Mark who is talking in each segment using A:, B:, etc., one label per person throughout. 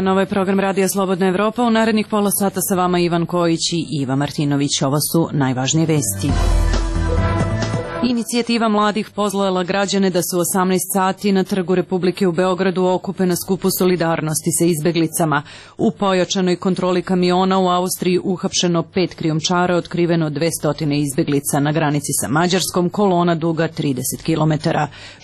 A: dan, ovo je program Radija Slobodna Evropa. U narednih pola sata sa vama Ivan Kojić i Iva Martinović. Ovo su najvažnije vesti. Inicijativa mladih pozvala građane da su 18 sati na Trgu Republike u Beogradu okupe na skupu solidarnosti sa izbeglicama. U pojačanoj kontroli kamiona u Austriji uhapšeno 5 krijumčara, otkriveno 200 izbeglica. Na granici sa Mađarskom kolona duga 30 km.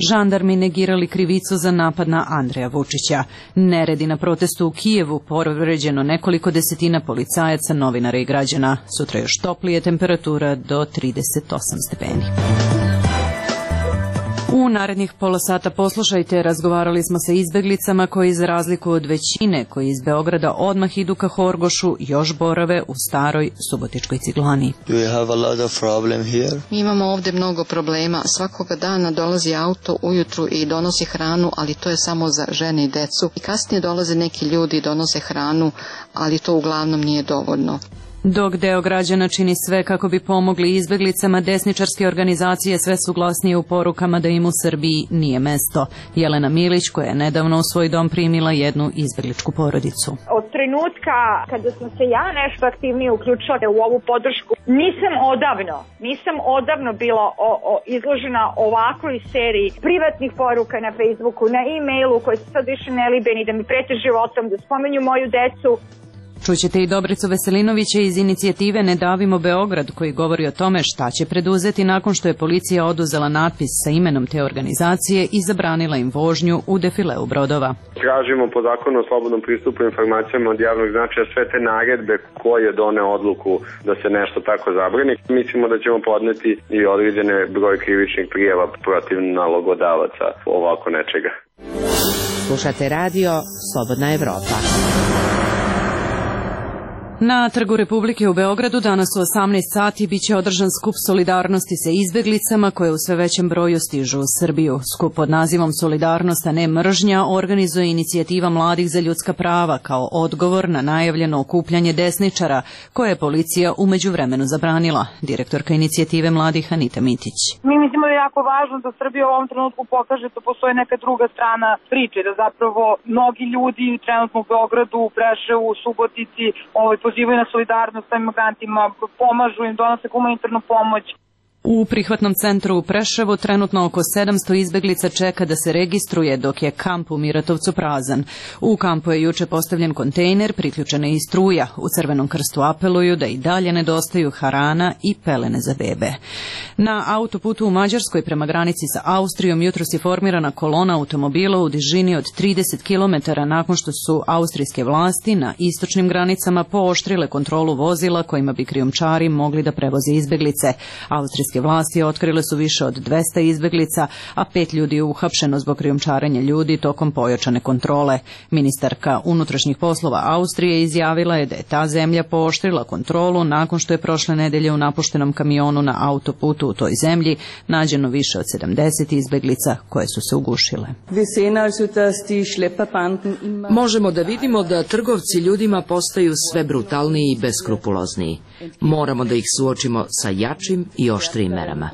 A: Žandarmi negirali krivicu za napad na Andreja Vučića. Neredi na protestu u Kijevu, povređeno nekoliko desetina policajaca, novinara i građana. Sutra još toplije, temperatura do 38 stepeni. U narednih pola sata poslušajte, razgovarali smo sa izbeglicama koji za razliku od većine koji iz Beograda odmah idu ka Horgošu još borave u staroj subotičkoj ciglani.
B: Mi imamo ovdje mnogo problema. Svakoga dana dolazi auto ujutru i donosi hranu, ali to je samo za žene i decu. I kasnije dolaze neki ljudi i donose hranu, ali to uglavnom nije dovoljno.
A: Dok deo građana čini sve kako bi pomogli izbeglicama, desničarske organizacije sve su glasnije u porukama da im u Srbiji nije mesto. Jelena Milić, koja je nedavno u svoj dom primila jednu izbegličku porodicu.
C: Od trenutka kada sam se ja nešto aktivnije uključila u ovu podršku, nisam odavno bila izložena ovakvoj seriji privatnih poruka na Facebooku, na e-mailu koje su sad više nelibeni, da mi prete životom, da spomenju moju decu.
A: Čućete i Dobricu Veselinovića iz inicijative Ne davimo Beograd, koji govori o tome šta će preduzeti nakon što je policija oduzela natpis sa imenom te organizacije i zabranila im vožnju u defileu brodova.
D: Tražimo po zakonu o slobodnom pristupu informacijama od javnog značaja sve te naredbe koje done odluku da se nešto tako zabrani. Mislimo da ćemo podneti i određene broj krivičnih prijava protiv nalogodavaca ovako nečega.
E: Slušate radio Slobodna Evropa.
A: Na Trgu Republike u Beogradu danas u 18 sati biće održan skup solidarnosti sa izbeglicama koje u sve većem broju stižu u Srbiju. Skup pod nazivom Solidarnost, a ne mržnja organizuje inicijativa mladih za ljudska prava kao odgovor na najavljeno okupljanje desničara koje je policija u međuvremenu zabranila. Direktorka inicijative mladih Anita Mitić.
F: Mi mislimo da je jako važno da Srbija u ovom trenutku pokaže da postoji neka druga strana priče, da zapravo mnogi ljudi trenutno u Beogradu, u Preševu, u Subotici, pozivaju na solidarnost sa imigrantima, pomažu im, donose humanitarnu pomoć.
A: U prihvatnom centru u Preševu trenutno oko 700 izbeglica čeka da se registruje, dok je kamp u Miratovcu prazan. U kampu je juče postavljen kontejner, priključena i struja. U Crvenom krstu apeluju da i dalje nedostaju hrana i pelene za bebe. Na autoputu u Mađarskoj prema granici sa Austrijom jutros je formirana kolona automobila u dužini od 30 km nakon što su austrijske vlasti na istočnim granicama pooštrile kontrolu vozila kojima bi krijumčari mogli da prevoze izbeglice. Austrijske vlasti otkrile su više od 200 izbeglica, a 5 ljudi je uhapšeno zbog krijumčarenja ljudi tokom pojačane kontrole. Ministarka unutrašnjih poslova Austrije izjavila je da je ta zemlja pooštrila kontrolu nakon što je prošle nedelje u napuštenom kamionu na autoputu u toj zemlji nađeno više od 70 izbeglica koje su se ugušile.
E: Možemo da vidimo da trgovci ljudima postaju sve brutalniji i beskrupulozniji. Moramo da ih suočimo sa jačim i oštrijim merama.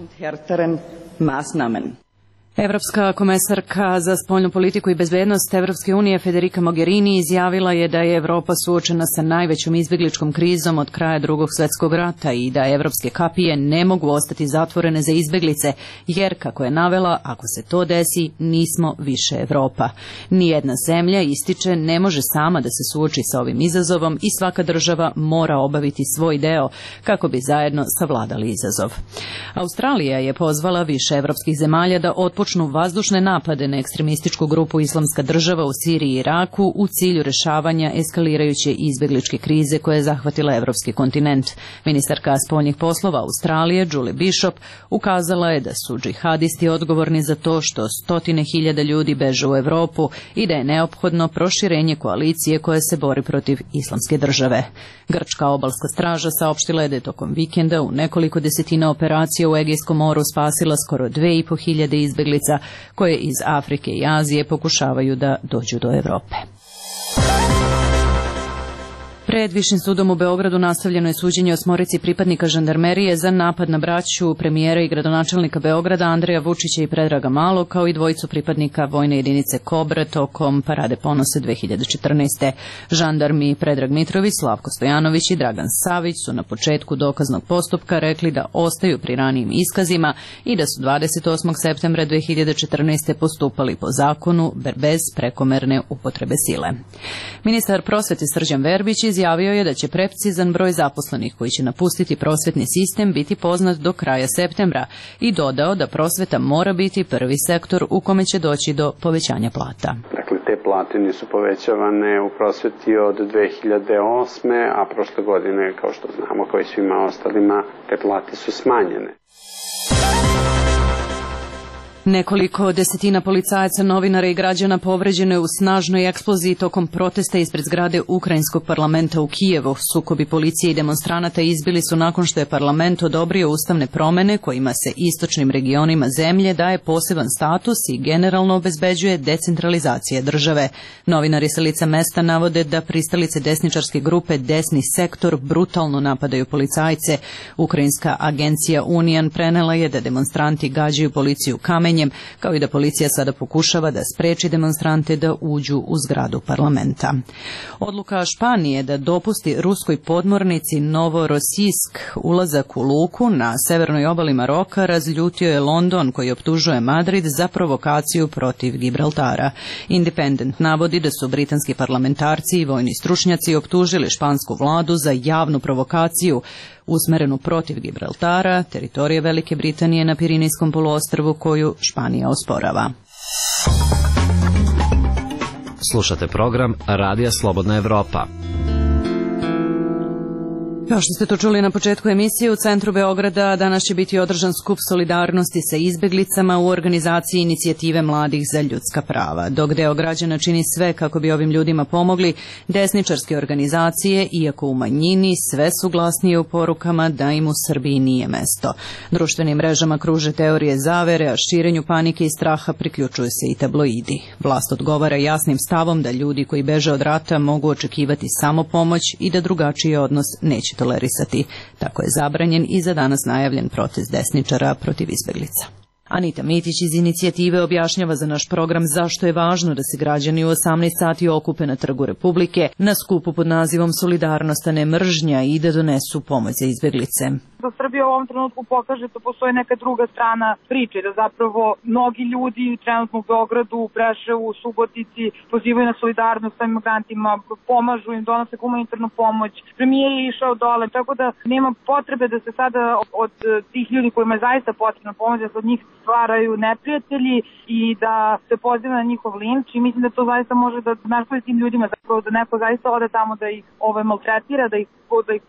A: Evropska komesarka za spoljnu politiku i bezbednost Evropske unije Federica Mogherini izjavila je da je Evropa suočena sa najvećom izbegličkom krizom od kraja Drugog svjetskog rata i da evropske kapije ne mogu ostati zatvorene za izbeglice, jer, kako je navela, ako se to desi, nismo više Evropa. Nijedna zemlja, ističe, ne može sama da se suoči sa ovim izazovom i svaka država mora obaviti svoj deo kako bi zajedno savladali izazov. Australija je pozvala više evropskih zemalja da otpočnu vazdušne napade na ekstremističku grupu Islamska država u Siriji i Iraku u cilju rešavanja eskalirajuće izbegličke krize koja je zahvatila evropski kontinent. Ministarka spoljnih poslova Australije Julie Bishop ukazala je da su džihadisti odgovorni za to što stotine hiljada ljudi beže u Evropu i da je neophodno proširenje koalicije koja se bori protiv Islamske države. Grčka obalska straža saopštila je da je tokom vikenda u nekoliko desetina operacija u Egejskom moru spasila skoro 2.500 izbeglica koje iz Afrike i Azije pokušavaju da dođu do Evrope. Pred Višim sudom u Beogradu nastavljeno je suđenje 8 pripadnika žandarmerije za napad na braću premijera i gradonačelnika Beograda Andreja Vučića i Predraga Malog, kao i 2 pripadnika vojne jedinice Kobra tokom Parade ponosa 2014. Žandarmi Predrag Mitrović, Slavko Stojanović i Dragan Savić su na početku dokaznog postupka rekli da ostaju pri ranijim iskazima i da su 28. septembra 2014. postupali po zakonu bez prekomerne upotrebe sile. Ministar prosvete Srđan Verbić izjavio je da će precizan broj zaposlenih koji će napustiti prosvetni sistem biti poznat do kraja septembra i dodao da prosveta mora biti prvi sektor u kome će doći do povećanja plata.
G: Dakle, te plate nisu povećavane u prosveti od 2008. a prošle godine, kao što znamo, kao i svima ostalima, te plate su smanjene.
A: Nekoliko desetina policajaca, novinara i građana povređeno je u snažnoj eksploziji tokom protesta ispred zgrade Ukrajinskog parlamenta u Kijevu. Sukobi policije i demonstranata izbili su nakon što je parlament odobrio ustavne promene kojima se istočnim regionima zemlje daje poseban status i generalno obezbeđuje decentralizacija države. Novinari sa lica mesta navode da pristalice desničarske grupe Desni sektor brutalno napadaju policajce. Ukrajinska agencija Unijan prenela je da demonstranti gađaju policiju kamenjem, kao i da policija sada pokušava da spreči demonstrante da uđu u zgradu parlamenta. Odluka Španije da dopusti ruskoj podmornici Novorosijsk ulazak u luku na severnoj obali Maroka razljutio je London, koji optužuje Madrid za provokaciju protiv Gibraltara. Independent navodi da su britanski parlamentarci i vojni stručnjaci optužili špansku vladu za javnu provokaciju usmerenu protiv Gibraltara, teritorije Velike Britanije na Pirinejskom poluostrvu koju Španija osporava.
H: Slušate program Radija Slobodna Evropa.
A: Kao što ste to čuli na početku emisije, u centru Beograda danas će biti održan skup solidarnosti sa izbeglicama u organizaciji Inicijative mladih za ljudska prava. Dok deo građana čini sve kako bi ovim ljudima pomogli, desničarske organizacije, iako u manjini, sve su glasnije u porukama da im u Srbiji nije mesto. Društvenim mrežama kruže teorije zavere, a širenju panike i straha priključuju se i tabloidi. Vlast odgovara jasnim stavom da ljudi koji beže od rata mogu očekivati samo pomoć i da drugačiji odnos neće tolerisati. Tako je zabranjen i za danas najavljen protest desničara protiv izbeglica. Anita Mitić iz Inicijative objašnjava za naš program zašto je važno da se građani u 18 sati okupe na Trgu Republike na skupu pod nazivom Solidarnost, a ne mržnja, i da donesu pomoć za izbeglice.
F: Da Srbija u ovom trenutku pokaže da postoji neka druga strana priče, da zapravo mnogi ljudi trenutno u Beogradu, u Preševu, u Subotici pozivaju na solidarnost sa imigrantima, pomažu im, donose humanitarnu pomoć. Premijer je išao dole, tako da nema potrebe da se sada od tih ljudi kojima je zaista potrebna pomoć, da se od njih stvaraju neprijatelji i da se poziva na njihov linč, i mislim da to zaista može da naškodi tim ljudima, zapravo da neko zaista ode tamo da ih maltretira, da ih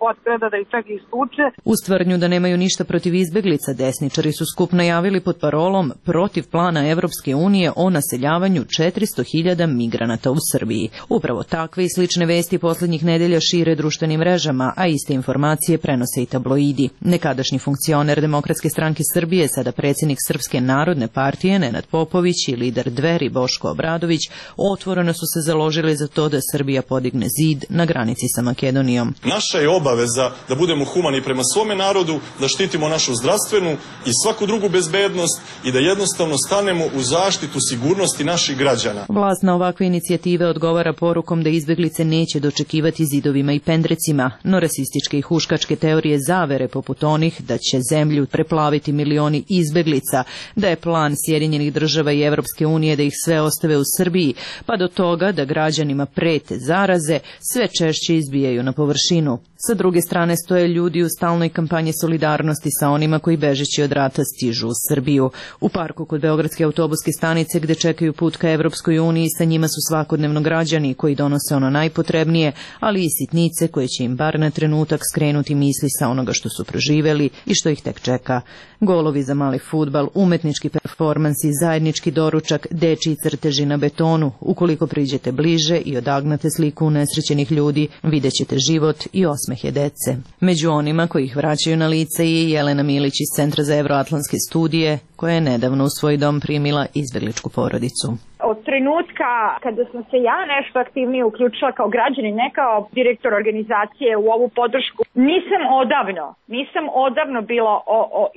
F: potkrada, da ih čak i stuče.
A: Uz tvrdnju da nemaju ništa protiv izbeglica, desničari su skup najavili pod parolom protiv plana Evropske unije o naseljavanju 400.000 migranata u Srbiji. Upravo takve i slične vesti poslednjih nedelja šire društvenim mrežama, a iste informacije prenose i tabloidi. Nekadašnji funkcioner Demokratske stranke Srbije, sada predsjednik Srpske narodne partije Nenad Popović i lider Dveri Boško Obradović otvoreno su se založili za to da Srbija podigne zid na granici sa Makedonijom.
I: Naša je obaveza da budemo humani prema svome narodu, da štitimo našu zdravstvenu i svaku drugu bezbednost i da jednostavno stanemo u zaštitu sigurnosti naših građana.
A: Vlast na ovakve inicijative odgovara porukom da izbeglice neće dočekivati zidovima i pendrecima, no rasističke i huškačke teorije zavere poput onih da će zemlju preplaviti milioni izbeglica, da je plan Sjedinjenih država i Evropske unije da ih sve ostave u Srbiji, pa do toga da građanima prete zaraze sve češće izbijaju na površinu. Sa druge strane stoje ljudi u stalnoj kampanji solidarnosti sa onima koji bežeći od rata stižu u Srbiju. U parku kod Beogradske autobuske stanice gde čekaju put ka Evropskoj uniji, sa njima su svakodnevno građani koji donose ono najpotrebnije, ali i sitnice koje će im bar na trenutak skrenuti misli sa onoga što su proživeli i što ih tek čeka. Golovi za mali fudbal, umetnički performansi, zajednički doručak, dečiji crteži na betonu. Ukoliko priđete bliže i odagnate sliku unesrećenih ljudi, vidjet ćete život i osmehe dece. Među onima koji ih vraćaju na lice je Jelena Milić iz Centra za evroatlantske studije, koja je nedavno u svoj dom primila izbegličku porodicu.
C: od trenutka kada sam se ja nešto aktivnije uključila kao građanin, ne kao direktor organizacije u ovu podršku, nisam odavno bila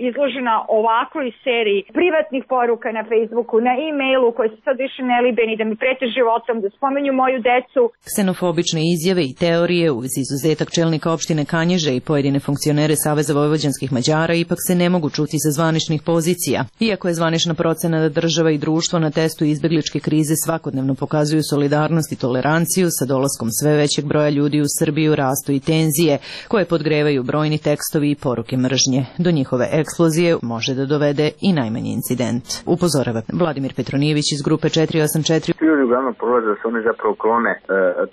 C: izložena ovakvoj seriji privatnih poruka na Facebooku, na e-mailu koje su sad više nelibeni, da mi prete životom, da spomenju moju decu.
A: Ksenofobične izjave i teorije uz izuzetak čelnika opštine Kanjiže i pojedine funkcionere Saveza vojvođanskih Mađara ipak se ne mogu čuti sa zvaničnih pozicija. Iako je zvanična procena da država i društvo na testu izbegličke krize svakodnevno pokazuju solidarnost i toleranciju, sa dolaskom sve većeg broja ljudi u Srbiju rastu i tenzije, koje podgrevaju brojni tekstovi i poruke mržnje. Do njihove eksplozije može da dovede i najmanji incident. Upozorava Vladimir Petronijević iz grupe 484.
J: Ljudi uglavnom prolaze da se oni zapravo klone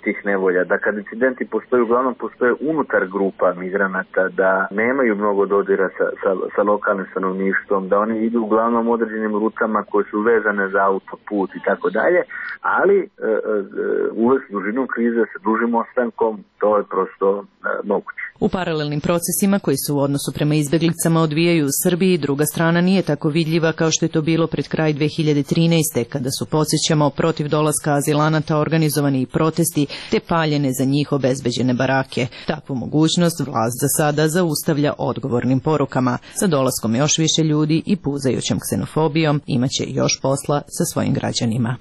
J: tih nevolja, da kad incidenti postoje, uglavnom postoje unutar grupa migranata, da nemaju mnogo dodira sa lokalnim stanovništvom, da oni idu uglavnom određenim rutama koje su vezane za autoput i tako dalje, ali uvesti dužinom krize sa dužim ostankom, to je prosto moguće.
A: U paralelnim procesima koji su u odnosu prema izbeglicama odvijaju u Srbiji, druga strana nije tako vidljiva kao što je to bilo pred kraj 2013. kada su, podsjećamo, protiv dolaska azilanata organizovani i protesti te paljene za njih obezbeđene barake. Takvu mogućnost vlast za sada zaustavlja odgovornim porukama. Sa dolaskom još više ljudi i puzajućom ksenofobijom imaće još posla sa svojim građanima.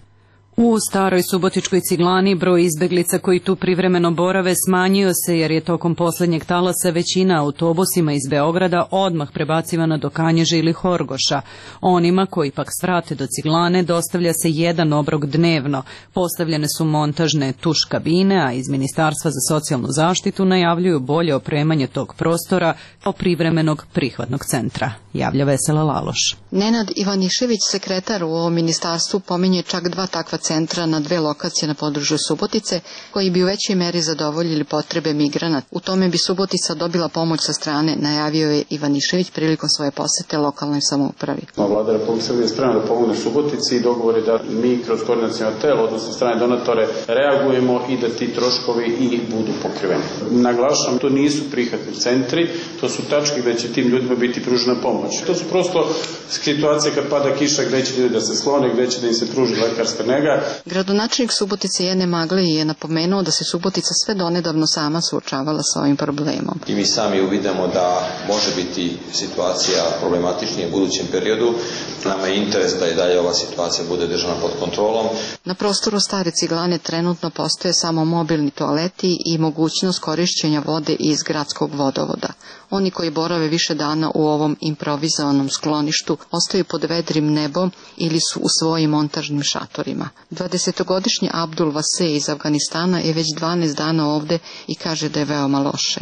A: U staroj subotičkoj Ciglani broj izbeglica koji tu privremeno borave smanjio se jer je tokom posljednjeg talasa većina autobusima iz Beograda odmah prebacivana do Kanjiže ili Horgoša. Onima koji pak svrate do Ciglane dostavlja se jedan obrok dnevno. Postavljene su montažne tuš kabine, a iz Ministarstva za socijalnu zaštitu najavljuju bolje opremanje tog prostora kao privremenog prihvatnog centra. Javlja Vesela Laloš.
B: Nenad Ivanišević, sekretar u ovom ministarstvu, pominje čak 2 takva centra na 2 lokacije na području Subotice, koji bi u većoj meri zadovoljili potrebe migranata. U tome bi Subotica dobila pomoć sa strane, najavio je Ivanišević prilikom svoje posete lokalnoj samoupravi.
G: Vlada Republike Srbije je spremna da pomogne Subotici i dogovor je da mi kroz koordinaciono telo, odnosno strane donatore, reagujemo i da ti troškovi i budu pokriveni. Naglašam, to nisu prihvatni centri, to su tačke gde će tim ljudima biti pružena pomoć. To su prosto situacije kad pada kiša gde će ljudi da se slone, gde će da im se pruži lekarska nega.
B: Gradonačelnik Subotice Jene Maglej je napomenuo da se Subotica sve donedavno sama suočavala sa ovim problemom.
K: I mi sami uvidimo da može biti situacija problematičnija u budućem periodu. Nama je interes da i dalje ova situacija bude držana pod kontrolom.
B: Na prostoru stare Ciglane trenutno postoje samo mobilni toaleti i mogućnost korišćenja vode iz gradskog vodovoda. Oni koji borave više dana u ovom improvizovanom skloništu ostaju pod vedrim nebom ili su u svojim montažnim šatorima. 20-godišnji Abdul Vase iz Afganistana je već 12 dana ovde i kaže da je veoma loše.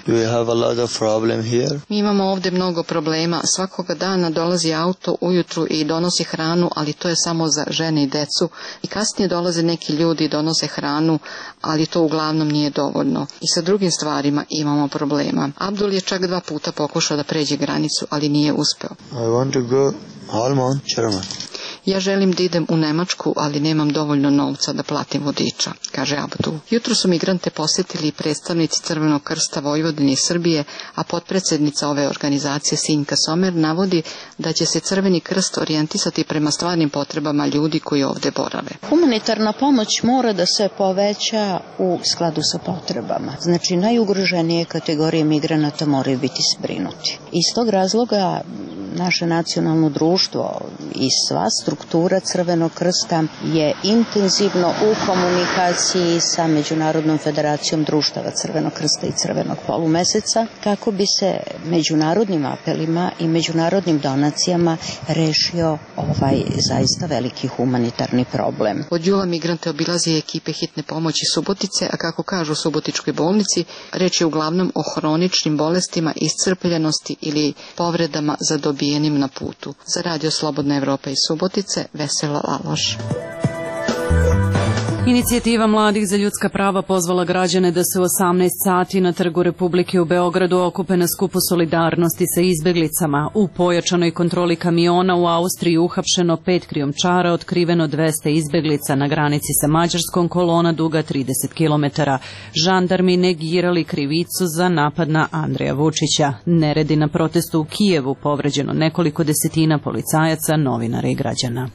B: Mi imamo ovde mnogo problema. Svakoga dana dolazi auto ujutru i donosi hranu, ali to je samo za žene i decu. I kasnije dolaze neki ljudi i donose hranu, ali to uglavnom nije dovoljno. I sa drugim stvarima imamo problema. Abdul je čak 2 puta pokušao da pređe granicu, ali nije uspeo. Ja želim da idem u Nemačku, ali nemam dovoljno novca da platim vodiča, kaže Abdul. Jutro su migrante posetili i predstavnici Crvenog krsta Vojvodine i Srbije, a potpredsednica ove organizacije Sinjka Somer navodi da će se Crveni krst orijentisati prema stvarnim potrebama ljudi koji ovde borave.
L: Humanitarna pomoć mora da se poveća u skladu sa potrebama. Znači, najugroženije kategorije migranata moraju biti zbrinuti. Iz tog razloga naše nacionalno društvo i sva struktura Crvenog krsta je intenzivno u komunikaciji sa Međunarodnom federacijom društava Crvenog krsta i Crvenog polumeseca kako bi se međunarodnim apelima i međunarodnim donacijama rešio ovaj zaista veliki humanitarni problem.
B: Od jula migrante obilazi ekipe hitne pomoći Subotice, a kako kažu u Subotičkoj bolnici, reč je uglavnom o hroničnim bolestima, iscrpljenosti ili povredama zadobijenim na putu. Za Radio Slobodna Evropa iz Subotice, Vesela Laloš.
A: Inicijativa mladih za ljudska prava pozvala građane da se u 18 sati na Trgu Republike u Beogradu okupe na skupu solidarnosti sa izbeglicama. U pojačanoj kontroli kamiona u Austriji uhapšeno 5 krijumčara, otkriveno 200 izbeglica na granici sa Mađarskom, kolona duga 30 km. Žandarmi negirali krivicu za napad na Andreja Vučića. Neredi na protestu u Kijevu, povređeno nekoliko desetina policajaca, novinara i građana.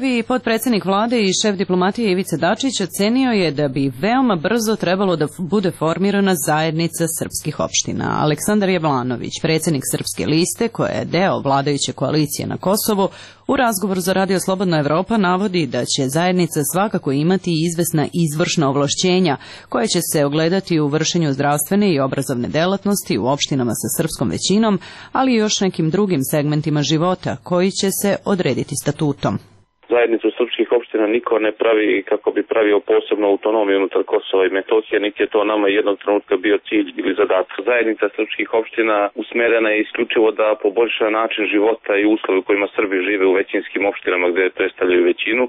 A: Prvi potpredsjednik vlade i šef diplomatije Ivica Dačić ocenio je da bi veoma brzo trebalo da bude formirana zajednica srpskih opština. Aleksandar Jablanović, predsjednik Srpske liste, koja je deo vladajuće koalicije na Kosovu, u razgovoru za Radio Slobodna Evropa navodi da će zajednica svakako imati izvesna izvršna ovlašćenja koja će se ogledati u vršenju zdravstvene i obrazovne delatnosti u opštinama sa srpskom većinom, ali i još nekim drugim segmentima života koji će se odrediti statutom.
M: Zajednicu srpskih opština niko ne pravi kako bi pravio posebnu autonomiju unutar Kosova i Metohije, niti je to nama jednog trenutka bio cilj ili zadatak. Zajednica srpskih opština usmerena je isključivo da poboljša način života i uslove u kojima Srbi žive u većinskim opštinama gde predstavljaju većinu,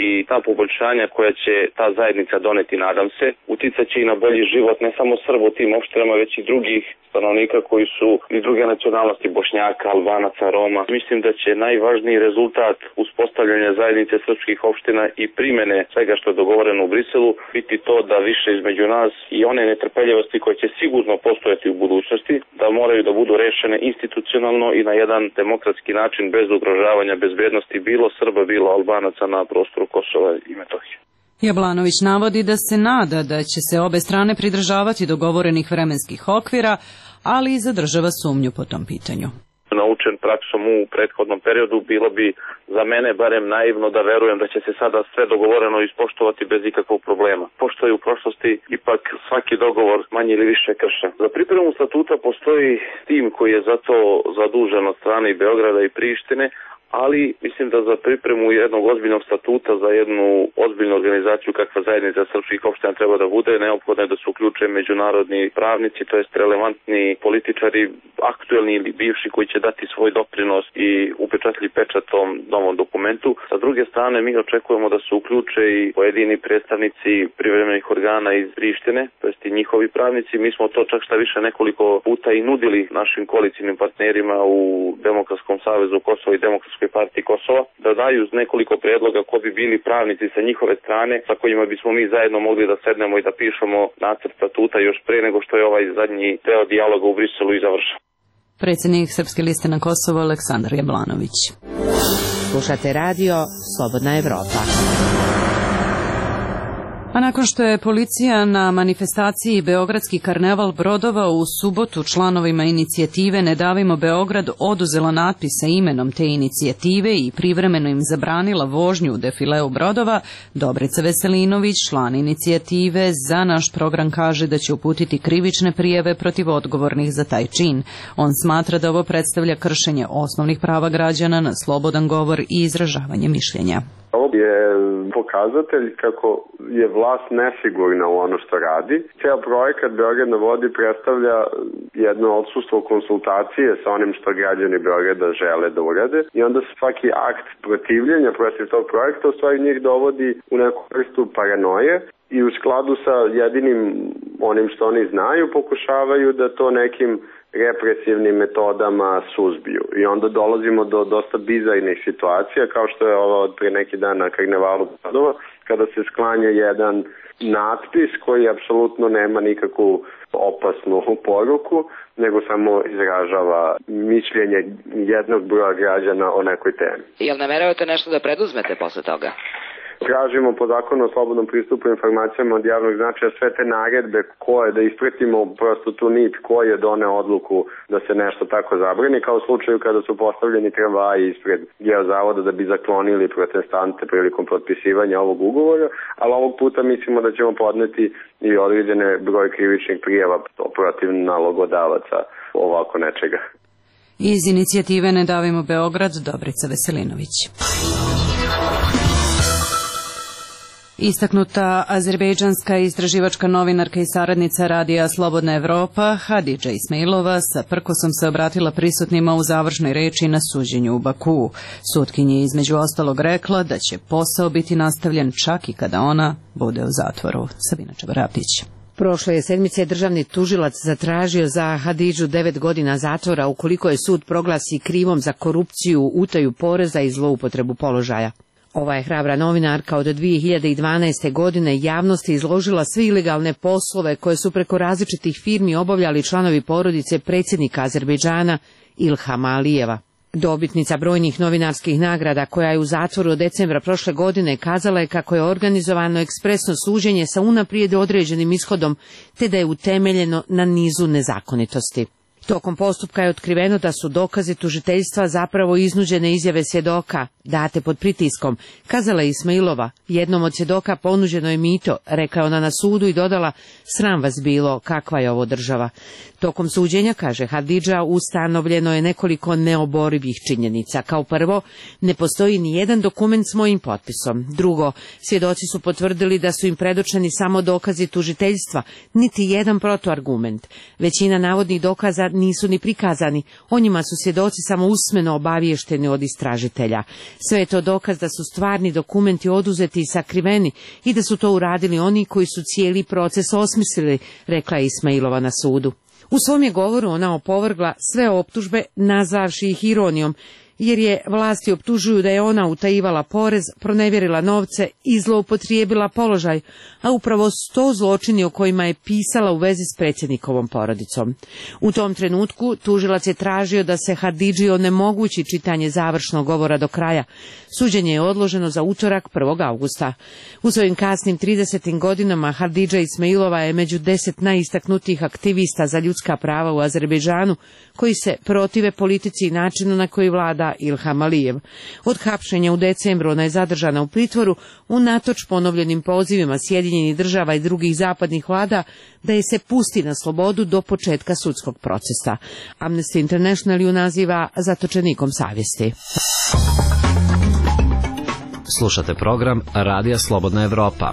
M: i ta poboljšanja koja će ta zajednica doneti, nadam se, uticat će i na bolji život ne samo Srba u tim opštinama, već i drugih stanovnika koji su iz druge nacionalnosti, Bošnjaka, Albanaca, Roma. Mislim da će najvažniji rezultat uspostavljanja zajednice srpskih opština i primene svega što je dogovoreno u Briselu biti to da više između nas i one netrpeljivosti koje će sigurno postojati u budućnosti, da moraju da budu rešene institucionalno i na jedan demokratski način bez ugrožavanja bezbednosti bilo Srba, bilo Albanaca na prostoru Kosova i Metohije.
A: Jablanović navodi da se nada da će se obe strane pridržavati dogovorenih vremenskih okvira, ali i zadržava sumnju po tom pitanju.
M: Naučen praksom u prethodnom periodu, bilo bi za mene barem naivno da verujem da će se sada sve dogovoreno ispoštovati bez ikakvog problema. Pošto je u prošlosti ipak svaki dogovor manje ili više kršen. Za pripremu statuta postoji tim koji je za to zadužen od strane i Beograda i Prištine, ali mislim da za pripremu jednog ozbiljnog statuta, za jednu ozbiljnu organizaciju kakva zajednica srpskih opština treba da bude, neophodno je da se uključe međunarodni pravnici, to jest relevantni političari, aktuelni ili bivši, koji će dati svoj doprinos i upečatljiv pečat tom novom dokumentu. Sa druge strane, mi očekujemo da se uključe i pojedini predstavnici privremenih organa iz Prištine, to jest i njihovi pravnici. Mi smo to čak šta više nekoliko puta i nudili našim koalicijnim partnerima u Demokratskom savezu Kosova i Demokratskoj partiji Kosova, da daju nekoliko predloga ko bi bili pravnici sa njihove strane, sa kojima bismo mi zajedno mogli da sednemo i da pišemo nacrt statuta još pre nego što je ovaj zadnji deo dijaloga u Briselu i završen.
A: Predsjednik Srpske liste na Kosovu Aleksandar Jablanović.
N: Slušate radio Slobodna Evropa.
A: A nakon što je policija na manifestaciji Beogradski karneval brodova u subotu članovima inicijative Ne davimo Beograd oduzela natpis sa imenom te inicijative i privremeno im zabranila vožnju u defileu brodova, Dobrica Veselinović, član inicijative, za naš program kaže da će uputiti krivične prijave protiv odgovornih za taj čin. On smatra da ovo predstavlja kršenje osnovnih prava građana na slobodan govor i izražavanje mišljenja.
D: Ovo je pokazatelj kako je vlast nesigurna u ono što radi. Ceo projekat Beograd na vodi predstavlja jedno odsustvo konsultacije sa onim što građani Beograda žele da urade i onda svaki akt protivljenja protiv tog projekta u stvari njih dovodi u neku vrstu paranoje i u skladu sa jedinim onim što oni znaju pokušavaju da to nekim represivnim metodama suzbiju. I onda dolazimo do dosta bizarnih situacija, kao što je ovo od pre neki dan na karnevalu brodova, kada se sklanja jedan natpis koji apsolutno nema nikakvu opasnu poruku, nego samo izražava mišljenje jednog broja građana o nekoj temi.
N: Jel nameravate nešto da preduzmete posle toga?
D: Tražimo po zakonu o slobodnom pristupu informacijama od javnog značaja sve te naredbe koje da ispratimo prosto tu nit ko je doneo odluku da se nešto tako zabrani, kao u slučaju kada su postavljeni tramvaji ispred Geozavoda da bi zaklonili protestante prilikom potpisivanja ovog ugovora, ali ovog puta mislimo da ćemo podneti i određene broj krivičnih prijava protiv nalogodavaca ovako nečega.
A: Iz inicijative Ne davimo Beograd, Dobrica Veselinović. Istaknuta azerbejdžanska istraživačka novinarka i saradnica radija Slobodna Evropa, Hadidža Ismailova, sa prkosom se obratila prisutnima u završnoj reči na suđenju u Bakuu. Sutkinja je između ostalog rekla da će posao biti nastavljen čak i kada ona bude u zatvoru. Sabina Čabaraptić.
N: Prošle je sedmice državni tužilac zatražio za Hadidžu 9 godina zatvora ukoliko je sud proglasi krivom za korupciju, utaju poreza i zloupotrebu položaja. Ova je hrabra novinarka od 2012. godine javnosti izložila sve ilegalne poslove koje su preko različitih firmi obavljali članovi porodice predsjednika Azerbejdžana Ilhama Alijeva. Dobitnica brojnih novinarskih nagrada koja je u zatvoru od decembra prošle godine kazala je kako je organizovano ekspresno suđenje sa unaprijed određenim ishodom, te da je utemeljeno na nizu nezakonitosti. Tokom postupka je otkriveno da su dokazi tužiteljstva zapravo iznuđene izjave svjedoka, date pod pritiskom, kazala je Ismailova. Jednom od svjedoka ponuđeno je mito, rekla je ona na sudu i dodala, sram vas bilo, kakva je ovo država. Tokom suđenja, kaže Hadidža, ustanovljeno je nekoliko neoborivih činjenica. Kao prvo, ne postoji ni jedan dokument s mojim potpisom. Drugo, svjedoci su potvrdili da su im predočeni samo dokazi tužiteljstva, niti jedan protuargument. Većina navodnih dokaza nisu ni prikazani, o njima su svjedoci samo usmeno obaviješteni od istražitelja. Sve je to dokaz da su stvarni dokumenti oduzeti i sakriveni i da su to uradili oni koji su cijeli proces osmislili, rekla je Ismailova na sudu. U svom je govoru ona opovrgla sve optužbe, nazvavši ih ironijom, jer je vlasti optužuju da je ona utajivala porez, pronevjerila novce i zloupotrijebila položaj, a upravo 100 zločini o kojima je pisala u vezi s predsjednikovom porodicom. U tom trenutku tužilac je tražio da se Hadidži onemogući čitanje završnog govora do kraja. Suđenje je odloženo za utorak 1. augusta. U svojim kasnim 30. godinama Hadidža Ismailova je među 10 najistaknutijih aktivista za ljudska prava u Azerbejdžanu, koji se protive politici i načinu na koji vlada Ilham Alijev. Od hapšenja u decembru ona je zadržana u pritvoru unatoč ponovljenim pozivima Sjedinjenih država i drugih zapadnih vlada da je se pusti na slobodu do početka sudskog procesa. Amnesty International ju naziva zatočenikom savjesti.
H: Slušate program Radija Slobodna Evropa.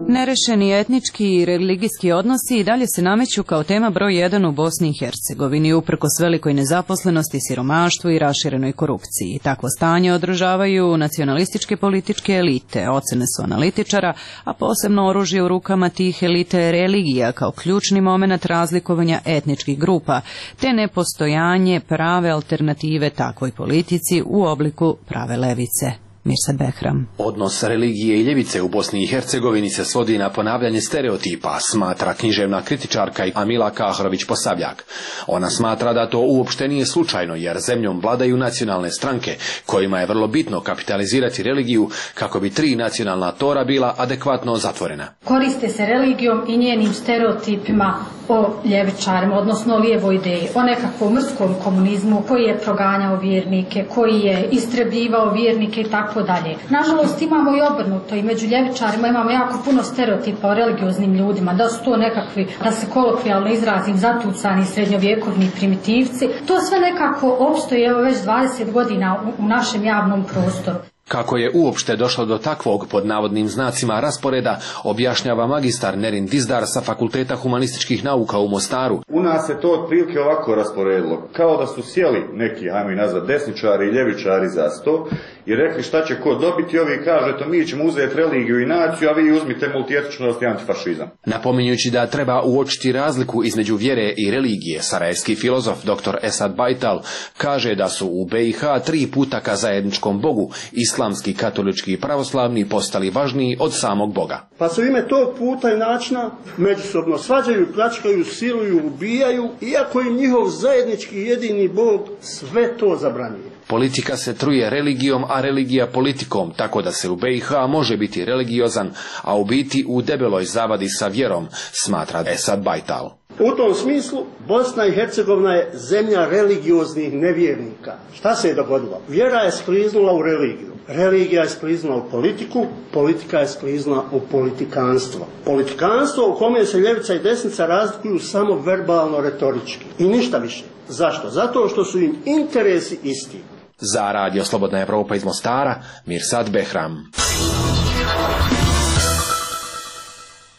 A: Nerešeni etnički i religijski odnosi i dalje se nameću kao tema broj 1 u Bosni i Hercegovini, uprkos velikoj nezaposlenosti, siromaštvu i raširenoj korupciji. Takvo stanje održavaju nacionalističke političke elite. Ocene su analitičara, a posebno oružje u rukama tih elite je religija kao ključni moment razlikovanja etničkih grupa, te nepostojanje prave alternative takvoj politici u obliku prave levice. Mirsad Behram.
O: Odnos religije i ljevice u Bosni i Hercegovini se svodi na ponavljanje stereotipa, smatra književna kritičarka Amila Kahrović-Posavljak. Ona smatra da to uopšte nije slučajno, jer zemljom vladaju nacionalne stranke, kojima je vrlo bitno kapitalizirati religiju kako bi 3 nacionalna tora bila adekvatno zatvorena.
P: Koriste se religijom i njenim stereotipima o ljevičarima, odnosno o lijevoj ideji, o nekakvom mrskom komunizmu koji je proganjao vjernike, koji je istrebljivao vjernike i tako dalje. Nažalost imamo i obrnuto, i među ljevičarima imamo jako puno stereotipa o religioznim ljudima, da su to nekakvi, da se kolokvijalno izrazim, zatucani srednjovjekovni primitivci. To sve nekako opstoji evo već 20 godina u našem javnom prostoru.
O: Kako je uopšte došlo do takvog, pod navodnim znacima, rasporeda, objašnjava magistar Nerin Dizdar sa Fakulteta humanističkih nauka u Mostaru.
Q: U nas se to otprilike ovako rasporedilo, kao da su sjeli neki, ajmo i nazvat, desničari i ljevičari za sto i rekli šta će ko dobiti, ovi kaže to mi ćemo uzeti religiju i naciju, a vi uzmite multietničnost i antifašizam.
O: Napominjući da treba uočiti razliku između vjere i religije, sarajevski filozof dr. Esad Bajtal kaže da su u BiH 3 puta ka zajedničkom Bogu, islamski, katolički i pravoslavni, postali važniji od samog Boga.
R: Pa se u ime tog puta i načina međusobno svađaju, pljačkaju, siluju, ubijaju, iako im njihov zajednički jedini Bog sve to zabranjuje.
O: Politika se truje religijom, a religija politikom, tako da se u BiH može biti religiozan, a u biti u debeloj zavadi sa vjerom, smatra Esad Bajtal.
R: U tom smislu Bosna i Hercegovina je zemlja religioznih nevjernika. Šta se je dogodilo? Vjera je skliznula u religiju. Religija je skliznula u politiku, politika je skliznula u politikanstvo. Politikanstvo u kome se ljevica i desnica razlikuju samo verbalno, retorički. I ništa više. Zašto? Zato što su im interesi isti.
O: Za Radio Slobodna Evropa iz Mostara, Mirsad Behram.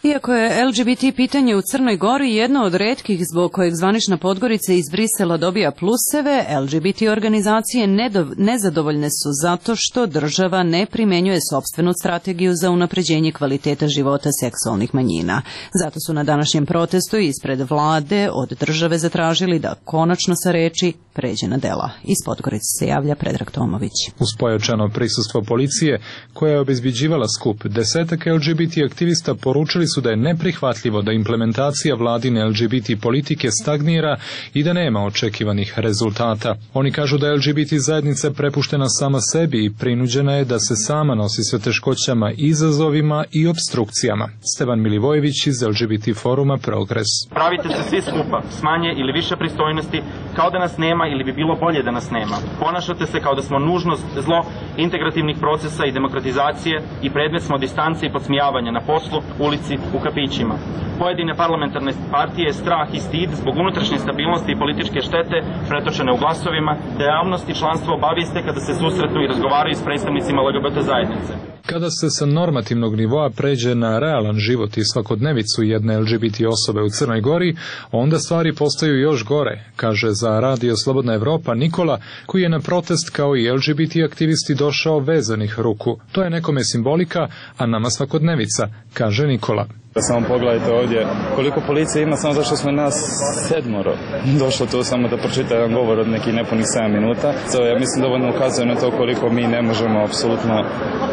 A: Iako je LGBT pitanje u Crnoj Gori jedno od retkih zbog kojeg zvanična Podgorica iz Brisela dobija pluseve, LGBT organizacije nezadovoljne su zato što država ne primjenjuje sopstvenu strategiju za unapređenje kvaliteta života seksualnih manjina. Zato su na današnjem protestu ispred vlade od države zatražili da konačno sa reči pređe na dela. Iz Podgorice se javlja Predrag Tomović.
S: Uz pojačano prisustvo policije, koja je obezbeđivala skup, 10 LGBT aktivista poručili su da je neprihvatljivo da implementacija vladine LGBT politike stagnira i da nema očekivanih rezultata. Oni kažu da je LGBT zajednica prepuštena sama sebi i prinuđena je da se sama nosi sa teškoćama, izazovima i obstrukcijama. Stevan Milivojević iz LGBT foruma Progres.
T: Pravite se svi skupa, s manje ili više pristojnosti, kao da nas nema ili bi bilo bolje da nas nema. Ponašate se kao da smo nužnost, zlo integrativnih procesa i demokratizacije i predmet smo distance i podsmijavanja na poslu, ulici, u kafićima. Pojedine parlamentarne partije strah i stid zbog unutrašnje stabilnosti i političke štete pretočene u glasovima, da javnost i članstvo obavijeste kada se susretnu i razgovaraju s predstavnicima LGBT zajednice.
S: Kada se sa normativnog nivoa pređe na realan život i svakodnevicu jedne LGBT osobe u Crnoj Gori, onda stvari postaju još gore, kaže za Radio Slobodna Evropa Nikola, koji je na protest kao i LGBT aktivisti došao vezanih ruku. To je nekome simbolika, a nama svakodnevica, kaže Nikola.
U: Samo pogledajte ovdje koliko policije ima samo zašto smo nas 7 došlo tu samo da pročita jedan govor od nekih nepunih 7 minuta. Ja mislim dovoljno ukazuje na to koliko mi ne možemo apsolutno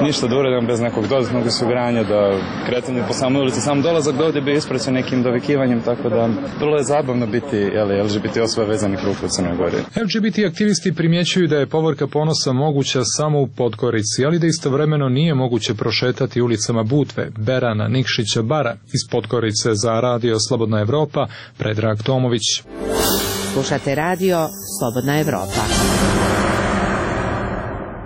U: ništa da uradimo bez nekog dodatnog osiguranja, da kretanje po samoj ulici, sam dolazak do ovdje bi ispraćen nekim dovikivanjem, tako da vrlo je zabavno biti LGBT osobe vezanih ruku u Crnoj Gori.
S: LGBT aktivisti primjećuju da je povorka ponosa moguća samo u Podgorici, ali da istovremeno nije moguće prošetati ulicama Budve, Berana, Nikšića, Bara. Iz Podgorice za Radio Slobodna Evropa, Predrag Tomović.
N: Slušate Radio Slobodna Evropa.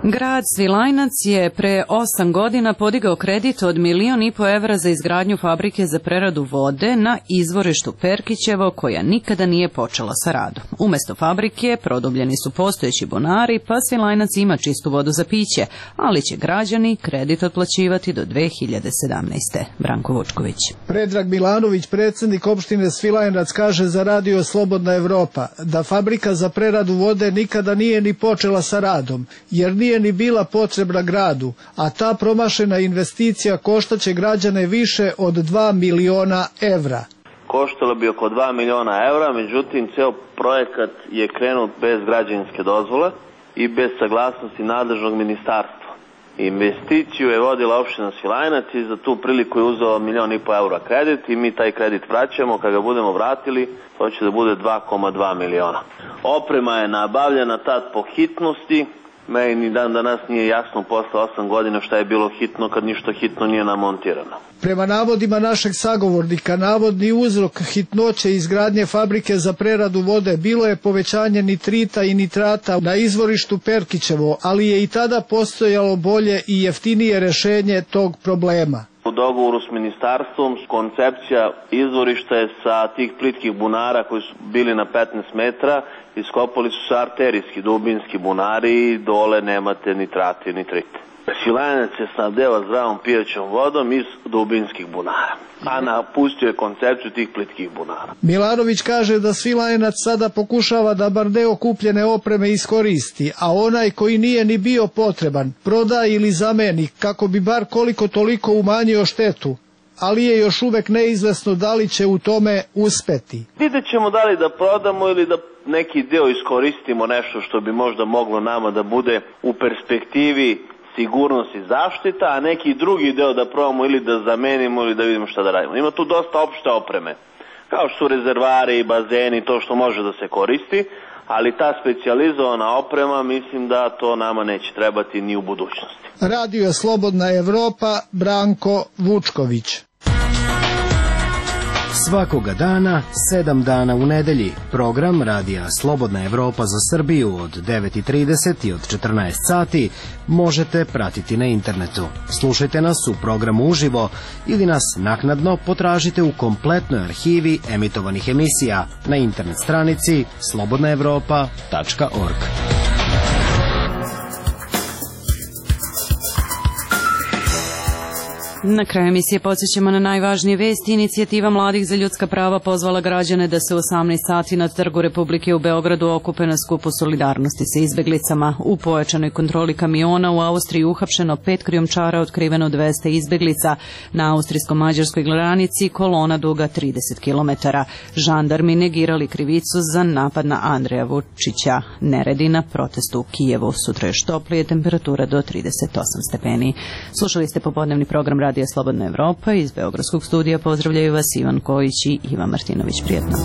A: Grad Svilajnac je pre 8 godina podigao kredit od 1,5 miliona evra za izgradnju fabrike za preradu vode na izvorištu Perkićevo, koja nikada nije počela sa radom. Umesto fabrike produbljeni su postojeći bunari, pa Svilajnac ima čistu vodu za piće, ali će građani kredit otplaćivati do 2017. Branko Vučković.
V: Predrag Milanović, predsjednik opštine Svilajnac, kaže za Radio Slobodna Evropa da fabrika za preradu vode nikada nije ni počela sa radom, jer nije ni bila potrebna gradu, a ta promašena investicija koštaće građane više od 2 miliona evra.
W: Koštalo bi oko 2 miliona evra, međutim ceo projekat je krenut bez građevinske dozvole i bez saglasnosti nadležnog ministarstva. Investiciju je vodila opština Svilajnac i za tu priliku je uzeo 1,5 miliona evra kredit i mi taj kredit vraćamo. Kada ga budemo vratili, to će da bude 2,2 miliona. Oprema je nabavljena tad po hitnosti. Meni ni dan danas nije jasno posle 8 godina šta je bilo hitno kad ništa hitno nije namontirano.
V: Prema navodima našeg sagovornika, navodni uzrok hitnoće izgradnje fabrike za preradu vode bilo je povećanje nitrita i nitrata na izvorištu Perkićevo, ali je i tada postojalo bolje i jeftinije rešenje tog problema.
W: U dogovoru s ministarstvom koncepcija izvorišta je sa tih plitkih bunara koji su bili na 15 metra, iskopali su se arterijski, dubinski bunari i dole nemate nitrate i nitrite. Svilajnac je snabdeva zdravom pijaćom vodom iz dubinskih bunara, a napustio je koncepciju tih plitkih bunara.
V: Milanović kaže da Svilajnac sada pokušava da bar deo kupljene opreme iskoristi, a onaj koji nije ni bio potreban proda ili zameni kako bi bar koliko toliko umanjio štetu, ali je još uvek neizvesno da li će u tome uspeti.
W: Vidjet ćemo da li da prodamo ili da neki deo iskoristimo, nešto što bi možda moglo nama da bude u perspektivi sigurnost i zaštita, a neki drugi deo da probamo ili da zamenimo ili da vidimo šta da radimo. Ima tu dosta opšte opreme, kao što su rezervari i bazeni, to što može da se koristi, ali ta specijalizovana oprema mislim da to nama neće trebati ni u budućnosti.
V: Radio Slobodna Evropa, Branko Vučković.
X: Svakoga dana, 7 dana u nedelji, program Radija Slobodna Evropa za Srbiju od 9:30 i od 14 sati možete pratiti na internetu. Slušajte nas u programu uživo ili nas naknadno potražite u kompletnoj arhivi emitovanih emisija na internet stranici slobodnaevropa.org.
A: Na kraju emisije podsjećamo na najvažnije vesti. Inicijativa Mladih za ljudska prava pozvala građane da se u 18 sati na Trgu Republike u Beogradu okupe na skupu solidarnosti sa izbeglicama. U pojačanoj kontroli kamiona u Austriji uhapšeno 5 krijumčara, otkriveno 200 izbeglica. Na austrijsko-mađarskoj granici kolona duga 30 km. Žandarmi negirali krivicu za napad na Andreja Vučića. Neredi na protestu u Kijevu. Sutra još toplije, temperatura do 38 stepeni. Slušali ste popodnevni program Radija Slobodna Evropa. Iz Beogradskog studija pozdravljaju vas Ivan Kojić i Ivan Martinović. Prijetno.